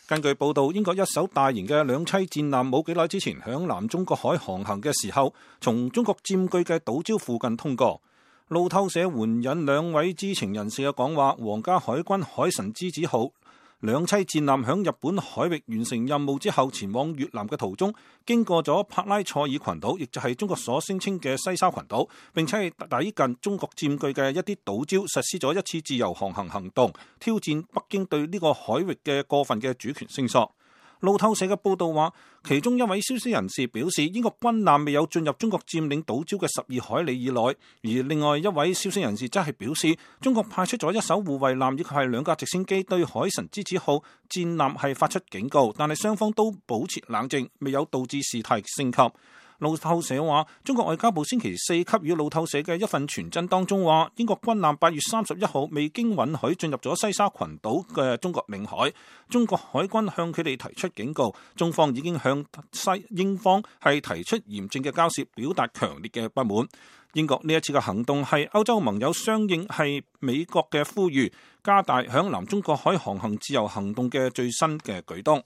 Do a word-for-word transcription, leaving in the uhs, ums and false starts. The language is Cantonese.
根據報道，英國一艘大型嘅兩棲戰艦冇幾耐之前響南中國海航行嘅時候，從中國佔據嘅島礁附近通過。路透社援引兩位知情人士嘅講話，皇家海軍海神之子號兩棲戰艦響日本海域完成任務之後，前往越南嘅途中，經過咗帕拉塞爾群島，亦就係中國所聲稱嘅西沙群島，並且係抵近中國佔據嘅一啲島礁，實施咗一次自由航行行動，挑戰北京對呢個海域嘅過分嘅主權聲索。路透社嘅報道話，其中一位消息人士表示，英國軍艦未有進入中國佔領島礁嘅十二海里以內，而另外一位消息人士則係表示，中國派出咗一艘護衛艦以及係兩架直升機對海神之子號戰艦係發出警告，但係雙方都保持冷靜，未有導致事態升級。路透社話，中國外交部星期四給予路透社嘅一份傳真當中話，英國軍艦八月三十一號未經允許進入咗西沙群島嘅中國領海，中國海軍向佢哋提出警告，中方已經向西英方係提出嚴正嘅交涉，表達強烈嘅不滿。英國呢一次嘅行動係歐洲盟友相應係美國嘅呼籲，加大響南中國海航行自由行動嘅最新嘅舉動。